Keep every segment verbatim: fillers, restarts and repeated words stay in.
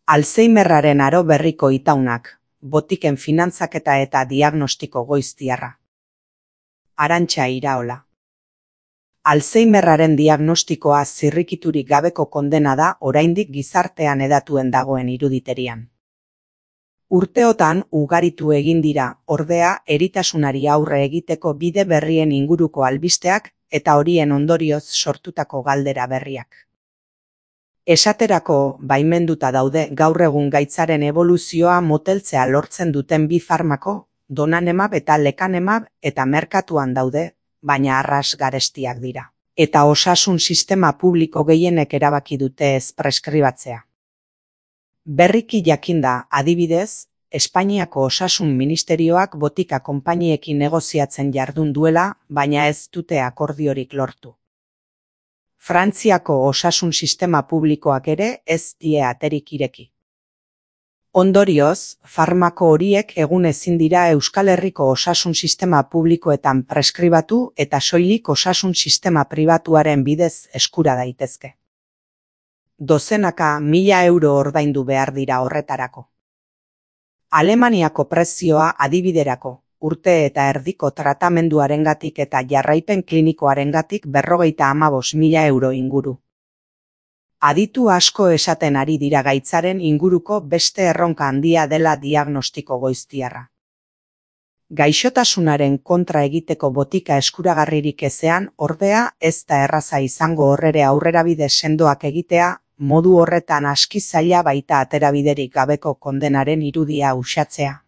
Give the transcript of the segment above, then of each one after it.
Alzheimerraren aro berriko itaunak, botiken finantzaketa eta diagnostiko goiztiarra. Arantxa Iraola. Alzheimerraren diagnostikoa zirrikiturik gabeko kondena da oraindik gizartean hedatuen dagoen iruditerian. Urteotan ugaritu egin dira, ordea, eritasunari aurre egiteko bide berrien inguruko albisteak eta horien ondorioz sortutako galdera berriak. Esaterako, baimenduta daude gaur egun gaitzaren eboluzioa moteltzea lortzen duten bi farmako, donanemab eta lekanemab, eta merkatuan daude, baina arras garestiak dira. Eta osasun sistema publiko gehienek erabaki dute ez preskribatzea. Berriki jakinda, adibidez, Espainiako Osasun Ministerioak botika konpainiekin negoziatzen jardun duela, baina ez dute akordiorik lortu. Frantziako osasun sistema publikoak ere ez die aterik ireki. Ondorioz, farmako horiek egun ezin dira Euskal Herriko osasun sistema publikoetan preskribatu eta soilik osasun sistema pribatuaren bidez eskura daitezke. Dozenaka mila euro ordaindu behar dira horretarako. Alemaniako prezioa adibiderako, urte eta erdiko tratamenduarengatik eta jarraipen klinikoarengatik berrogeita hamabos mila euro inguru. Aditu asko esaten ari dira gaitzaren inguruko beste erronka handia dela diagnostiko goiztiarra. Gaixotasunaren kontra egiteko botika eskuragarririk ezean, ordea, ez da erraza izango horrere aurrerabide sendoak egitea, modu horretan aski zaila baita aterabiderik gabeko kondenaren irudia uxatzea.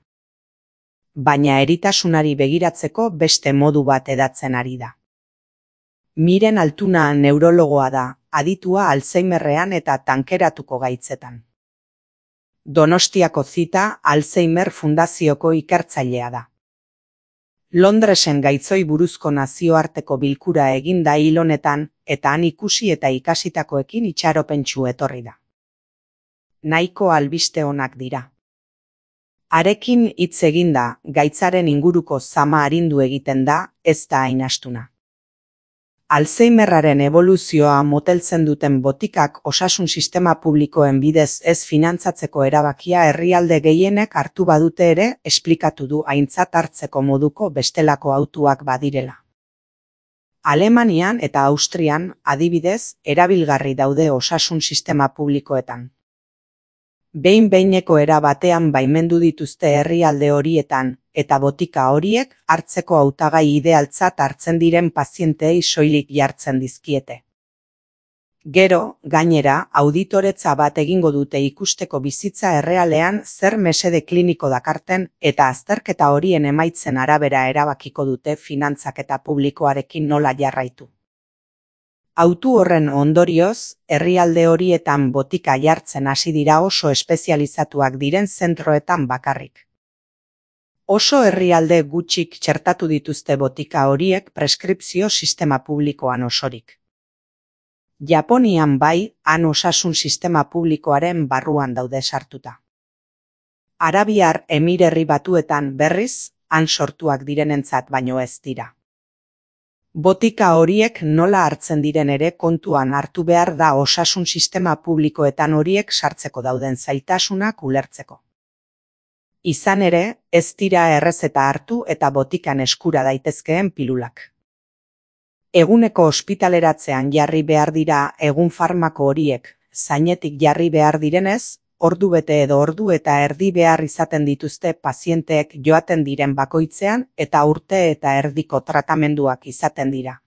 Baina eritasunari begiratzeko beste modu bat edatzen ari da. Miren Altuna neurologoa da, aditua Alzheimerrean eta tankeratuko gaitzetan. Donostiako zita Alzheimer Fundazioko ikertzailea da. Londresen gaitzoi buruzko nazioarteko bilkura egin da hil honetan, eta han ikusi eta ikasitakoekin itxaropentsu etorri da. Nahiko albiste onak dira. Harekin hitz eginda, gaitzaren inguruko zama arindu egiten da, ez da hain astuna. Alzheimerraren eboluzioa moteltzen duten botikak osasun sistema publikoen bidez ez finantzatzeko erabakia herrialde gehienek hartu badute ere, esplikatu du aintzat hartzeko moduko bestelako hautuak badirela. Alemanian eta Austrian, adibidez, erabilgarri daude osasun sistema publikoetan. Behin-behineko era batean baimendu dituzte herrialde horietan, eta botika horiek hartzeko hautagai idealtzat hartzen diren pazienteei soilik jartzen dizkiete. Gero, gainera, auditoretza bat egingo dute ikusteko bizitza errealean zer mesede kliniko dakarten eta azterketa horien emaitzen arabera erabakiko dute finantzaketa publikoarekin nola jarraitu. Autu horren ondorioz, herrialde horietan botika jartzen hasi dira oso espezializatuak diren zentroetan bakarrik. Oso herrialde gutxik txertatu dituzte botika horiek preskripzio sistema publikoan osorik. Japonian bai, han osasun sistema publikoaren barruan daude sartuta. Arabiar Emirerri Batuetan berriz, han sortuak direnentzat baino ez dira. Botika horiek nola hartzen diren ere kontuan hartu behar da osasun sistema publikoetan horiek sartzeko dauden zailtasunak ulertzeko. Izan ere, ez dira errezeta hartu eta botikan eskura daitezkeen pilulak. Eguneko ospitaleratzean jarri behar dira egun farmako horiek, zainetik jarri behar direnez, ordu bete edo ordu eta erdi behar izaten dituzte pazienteek joaten diren bakoitzean eta urte eta erdiko tratamenduak izaten dira.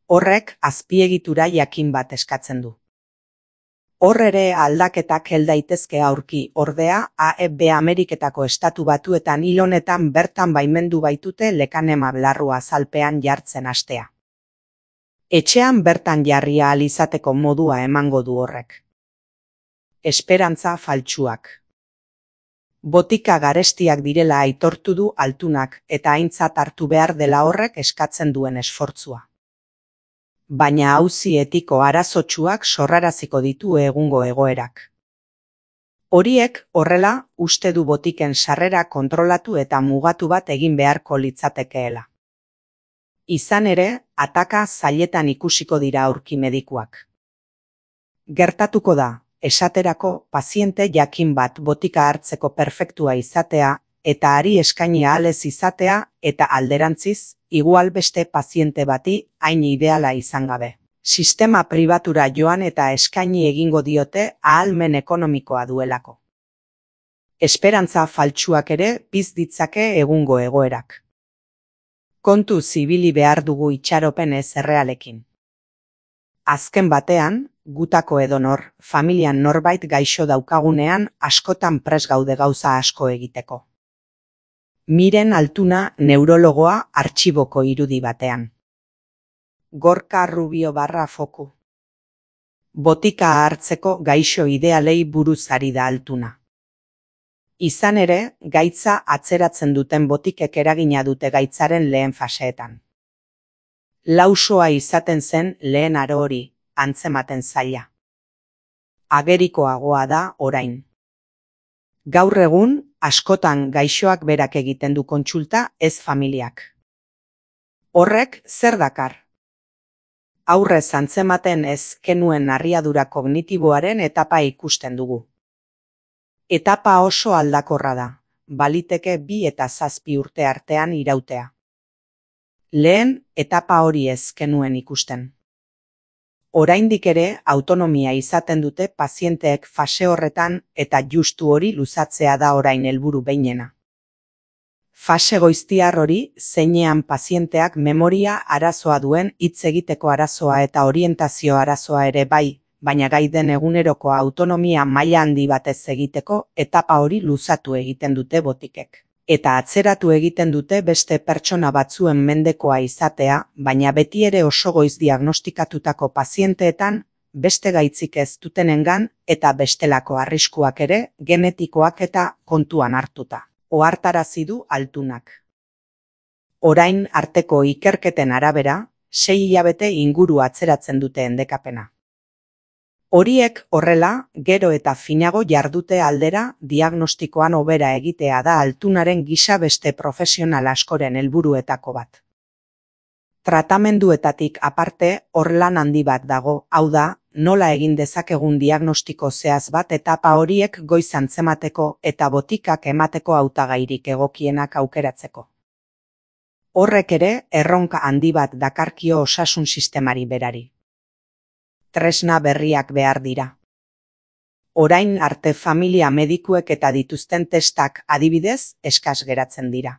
Horrek azpiegitura jakin bat eskatzen du. Hor ere aldaketak hel daitezke aurki, ordea, A E B Ameriketako estatu batuetan hil honetan bertan baimendu baitute lekanemab larrua azalpean jartzen hastea. Etxean bertan jarri ahal izateko modua emango du horrek. Esperantza faltsuak. Botika garestiak direla aitortu du Altunak eta aintzat hartu behar dela horrek eskatzen duen esfortzua. Baina auzi etiko arazotsuak sorraraziko ditu egungo egoerak. Horiek, horrela, uste du botiken sarrera kontrolatu eta mugatu bat egin beharko litzatekeela. Izan ere, ataka zailetan ikusiko dira aurki medikuak. Gertatuko da, esaterako paziente jakin bat botika hartzeko perfektua izatea, eta hari eskaini ahal ez izatea, eta alderantziz, igual beste paziente bati hain ideala izan gabe. Sistema pribatura joan eta eskaini egingo diote ahalmen ekonomikoa duelako. Esperantza faltsuak ere piztu ditzake egungo egoerak. Kontu zibili behar dugu itxaropen ez errealekin. Azken batean, gutako edonor, familian norbait gaixo daukagunean askotan prest gaude gauza asko egiteko. Miren Altuna neurologoa artxiboko irudi batean. Gorka Rubio barra foku. Botika hartzeko gaixo idealei buruz ari da Altuna. Izan ere, gaitza atzeratzen duten botikek eragina dute gaitzaren lehen faseetan. Lausoa izaten zen lehen aro hori, antzematen zaila. Agerikoagoa da orain. Gaur egun, askotan gaixoak berak egiten du kontsulta, ez familiak. Horrek zer dakar? Aurrez antzematen ez kenuen narriadura kognitiboaren etapa ikusten dugu. Etapa oso aldakorra da, baliteke bi eta zazpi urte artean irautea. Lehen, etapa hori ez kenuen ikusten. Oraindik ere autonomia izaten dute pazienteek fase horretan eta justu hori luzatzea da orain helburu behinena. Fase goiztiar hori zeinean pazienteak memoria arazoa duen hitz egiteko arazoa eta orientazio arazoa ere bai, baina gai den eguneroko autonomia maila handi batez egiteko etapa hori luzatu egiten dute botikek. Eta atzeratu egiten dute beste pertsona batzuen mendekoa izatea, baina beti ere oso goiz diagnostikatutako pazienteetan, beste gaitzik ez dutenengan eta bestelako arriskuak ere genetikoak eta kontuan hartuta. Ohartarazi du Altunak. Orain arteko ikerketen arabera, sei hilabete inguru atzeratzen dute endekapena. Horiek horrela, gero eta finago jardute aldera diagnostikoan hobera egitea da Altunaren gisa beste profesional askoren helburuetako bat. Tratamenduetatik aparte hor lan handi bat dago, hau da, nola egin dezakegun diagnostiko zehaz bat etapa horiek goiz antzemateko eta botikak emateko hautagairik egokienak aukeratzeko. Horrek ere erronka handi bat dakarkio osasun sistemari berari. Tresna berriak behar dira. Orain arte familia medikuek eta dituzten testak adibidez eskas geratzen dira.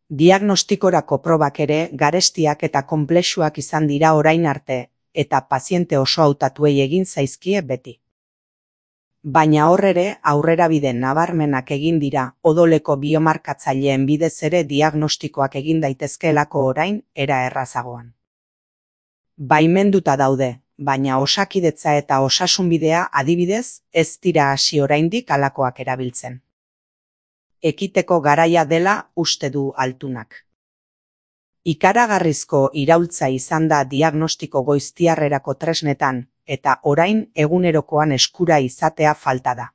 Diagnostikorako probak ere garestiak eta konplexuak izan dira orain arte, eta paziente oso hautatuei egin zaizkie beti. Baina hor ere aurrerabide nabarmenak egin dira odoleko biomarkatzaileen bidez ere diagnostikoak egin daitezkeelako orain era errazagoan. Baimenduta daude, baina osakidetza eta osasunbidea adibidez ez dira hasi oraindik halakoak erabiltzen. Ekiteko garaia dela uste du Altunak. Ikaragarrizko iraultza izan da diagnostiko goiztiarrerako tresnetan, eta orain egunerokoan eskura izatea falta da.